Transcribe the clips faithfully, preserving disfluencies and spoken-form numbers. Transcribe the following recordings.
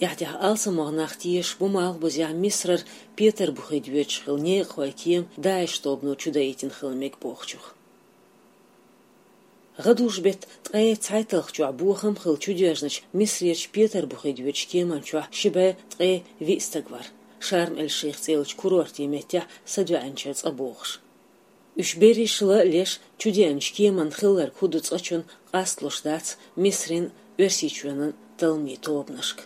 Эхь тӀехь алсамох нах тешаш бу малхбузехь Мисрара Петарбухе доьдуш хилла некъахойн кема ДАИШ тобано чудаийтина хила мега бохучух. ГӀадужу-беттан ткъе цхьайтталгӀачохь бохам хилла чудоьжначу Мисрерчу Петарбухе доьдучу кеман чохь ши бӀе ткъе виъ стаг вара. Шарм-эль-Шейх цӀе йолчу курортийн меттехь садоьӀначара цкъа бохуш. Уьш берриш ла а леш, чудеанчу кеманна хилларг хӀун ду цкъачунна къасталуш дац Мисрин а, Оьрсийчоьнан а талламийн тобанашка.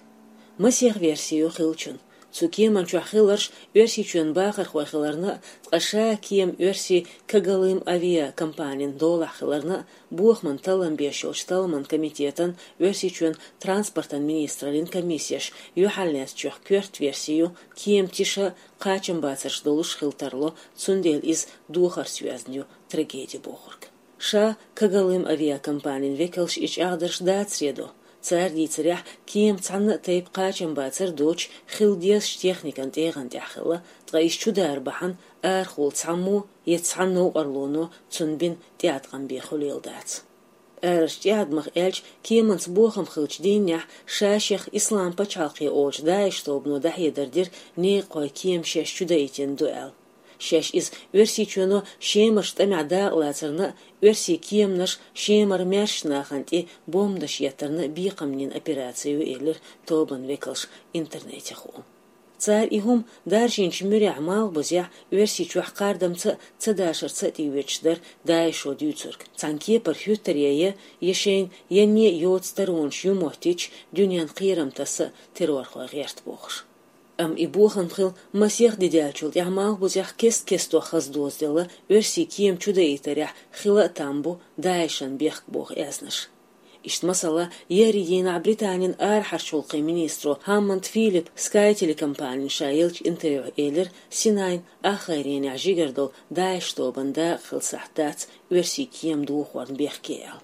Масех верси ю хиллачун. Цу кеман чохь хилларш Оьрсийчоьнан бахархой хиларна а, ткъа ша кема оьрсийн Когалым авиакомпанин долахь хиларна а, бохаман таллам беш йолчу талламан комитетан, Оьрсийчоьнан транспортан министраллин комиссеш юьхьарлаьцначех коьрта верси ю, кема тиша а, кхачамбацарш долуш хила тарло, цундела иза дохарца йоьзна ю трагеди бохург. Ша Когалым авиакомпанин векалш и чӀагӀдарш дацаре до. Цара дийцарехь, кема цхьанна а тайпа кхачамбацар доцуш хила дезачу техникан тӀегӀан тӀехь хилла, ткъа иза чудара бахьана арахула цхьаммо я цхьа новкъарлоно цунна бина тӀеӀаткъам бен хуьлийла дац. Арачу тӀеӀадамах аьлча, кеманца бохам хиллачу дийнахь ша-шех Ислам пачхьалкхе олучу ДАИШ тобано дӀахьедар дира некъахойн кема шаьш чудаийтина ду аьлла. Шаьш иза Оьрсийчоьно Шемарчу тӀамехь дакъалацарна а, оьрсийн кеманаш Шемара маьршачу нахана тӀе бомбанаш еттарна а бекхам йина операци ю, элира тобанан векалша интернетехула. Цара и хӀума даржийначу муьрехь малхбузехь Оьрсийчохь кхардамца а, цадашарца а тӀеоьцуш дара ДАИШо дуьйцург. Цхьана кепара хӀуьттаре я, я шайна янне а йоцу таронаш ю моттийча, дуьненна кхерам таса а террорхойн гӀерта бохуш. Амма и бохам хилла масех де даьллачул тӀаьхьа малхбузехь кест-кестох хаза дозаделла оьрсийн кема чудаийтарехь хила а там бу ДАИШан бехк боху аьзнаш. Иштта, масала, еарин дийнахь Британин арахьарчу гӀуллакхийн министро Хаммонд Филиппа Sky телекомпанина ша еллачу интервьюхь элира, Синайн ахгӀайренехь жигара долу ДАИШ тобанан дакъа хила сахьт дац оьрсийн кема дохорна бехке аьлла.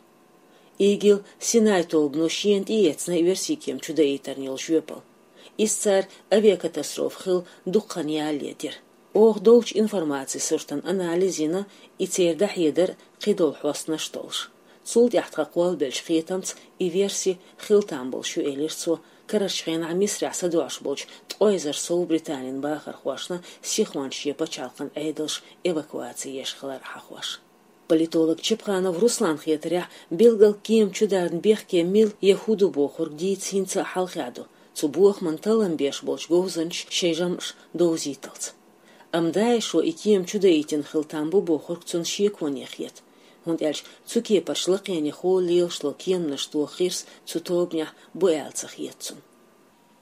ИГИЛ Синай тобано шена тӀеэцна оьрсийн кема чудаийтарна йолу жоьпалла. Иза цара авиакатастрофа хилла дукха хан ялале дира. Оха долчу информацин суртан анализ йина, и церан дӀахьедар кхидолу хьостанаш а толлуш. Цул тӀаьхьа тхан кхоллабеллачу кхетамца и верси хила там болуш ю, элира цо, карарчу хенахь Мисрахь садоӀуш болчу ткъе эзар сов Британин бахархошна сихонца шен пачхьалкхан Ӏедалш эвакуаци еш хилар хьахош. Политолог Чепханов Русланан хетарехь, билггал кема чударна бехке мила я хӀун ду бохург дийца хӀинца а хьалхе ду, цу бохаман таллам беш болчу говзанчаша шайн жамӀаш довзийталц. Амма ДАИШо и кема чудаийтина хила там бу бохург цунна шеконе хета, хӀунда аьлча цу кепарчу лакхенехула лелаш долу кеманаш тоха гӀирс цу тобанехь бу аьлла ца хета цунна.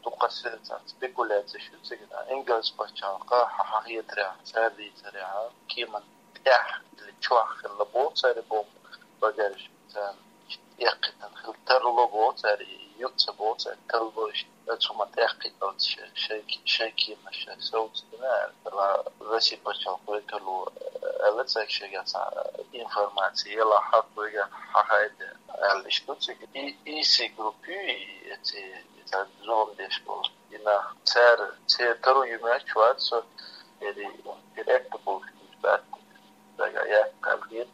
Дукха сецан спекуляцеш ю цигара. Ингалс пачхьалкха хьан хетарехь, цара дийцарехь, кеман тӀехь или чохь хилла боху цара бомба, багажник царна эккхийтина хила тарло боху цара, юкъа ца боху цара, тарло иштта, цу ма тӀехкхийталц шайн, шайн кеманаш шайн совцадина аьлла. Росси пачхьалкх векало аьлла цаьрга, шайгахь цхьа информаци елахь, хьакхойга хьахайда аьлла иштта ду цига. И, и си группа ю, и, эци, и цхьа зулам деш болу. И нах цара, церан таро ю моьттуш вац со, эри, эри экка болуш бац. Дага яккхал хет,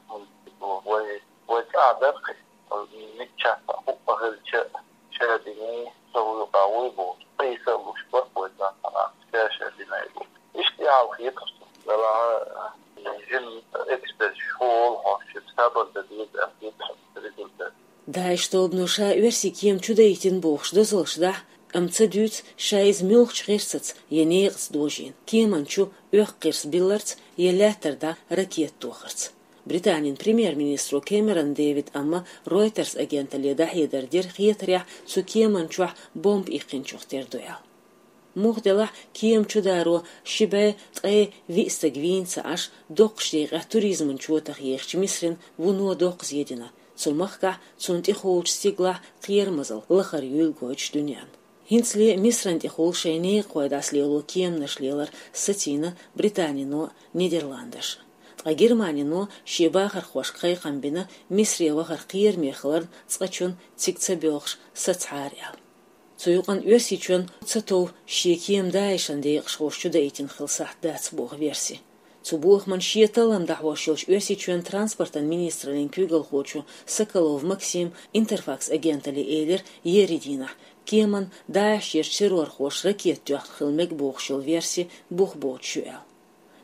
вай, вай цӀа дар кхин. Миччахьа хӀуъа хилча, ша дини, со вуй къа вуй бу. Къийса а луш бара вай цӀа хьана, ша, ша динай бу. Иштта ял хеташ ду. Вала жин эксперт школ хьош, сабар да деза, а хеташ результат. ДАИШ тобано ша оьрсийн кема чудаийтина бохуш дозаллаш дахь, амма ца дуьйцу ша иза муьлхачу гӀирсаца я некъаца дожийна, кеман чу оьхку гӀирс билларца я лаьттара дӀа ракета тохарца. Британин премьер-министро Кэмерон Дэвида амма Reuters агенталле дӀахьедар дира хетарехь цу кеман чохь бомба иккхинчух тера ду аьлла. Муха делахь, кема чударо ши бӀе ткъе виъ стаг вийна ца Ӏаш, доккхачу декъехь туризман чотах ехачу Мисрина вуно доккха зе дина, цу махкахь, цунна тӀехуьлучу стигалахь кхерамазалла лахара юьлла гойтуш дуьненна. ХӀинцале Мисрана тӀехула шайн некъахой дӀасалело кеманаш лелар сацийна Британино а, Нидерландаш а. Ткъа Германино шен бахархошка кхайкхам бина Мисре вахар кхераме хиларна цкъачунна цига ца боьлхуш сацахьара аьлла. Цу юкъана Оьрсийчоьнна ца тов шен кема ДАИШан декъашхоша чудаийтина хила сахьт дац боху верси. Цу бохаман шен талам дӀахьош йолчу Оьрсийчоьнан транспортан министраллин куьйгалхочо Соколов Максима Интерфакс агенталле элира еарин дийнахь, кеманна ДАИШ-ерчу террорхоша ракета тоьхна хила мега бохуш йолу верси бух боцуш ю аьлла.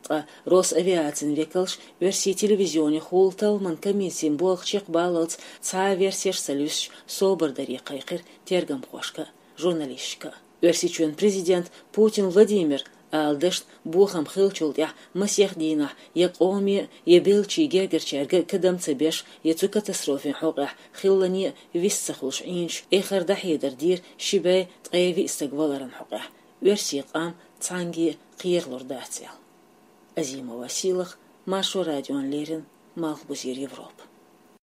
Ткъа Росавиацин векалша оьрсийн телевизионехула талламан комиссин болх чекхбаллалц цхьа а версеш ца луьстуш собар даре кхайкхира тергамхошка а, журналисташка а. Оьрсийчоьнан президент Путин Владимир ала дашна бохам хиллачул тӀаьхьа масех дийнахь я къоме, я беллачийн гергарчаьрга кадам ца беш, я цу катастрофин хьокъехь хиллане а вист ца хуьлуш Ӏийначу эхар дӀахьедар дийра ши бӀе ткъе виъ стаг валаран хьокъехь, оьрсийн къам цхьаьнгге а кхералур дац аьлла. Азимова Сийлаха, Маршо радиона леррина, Малхбузера Европа.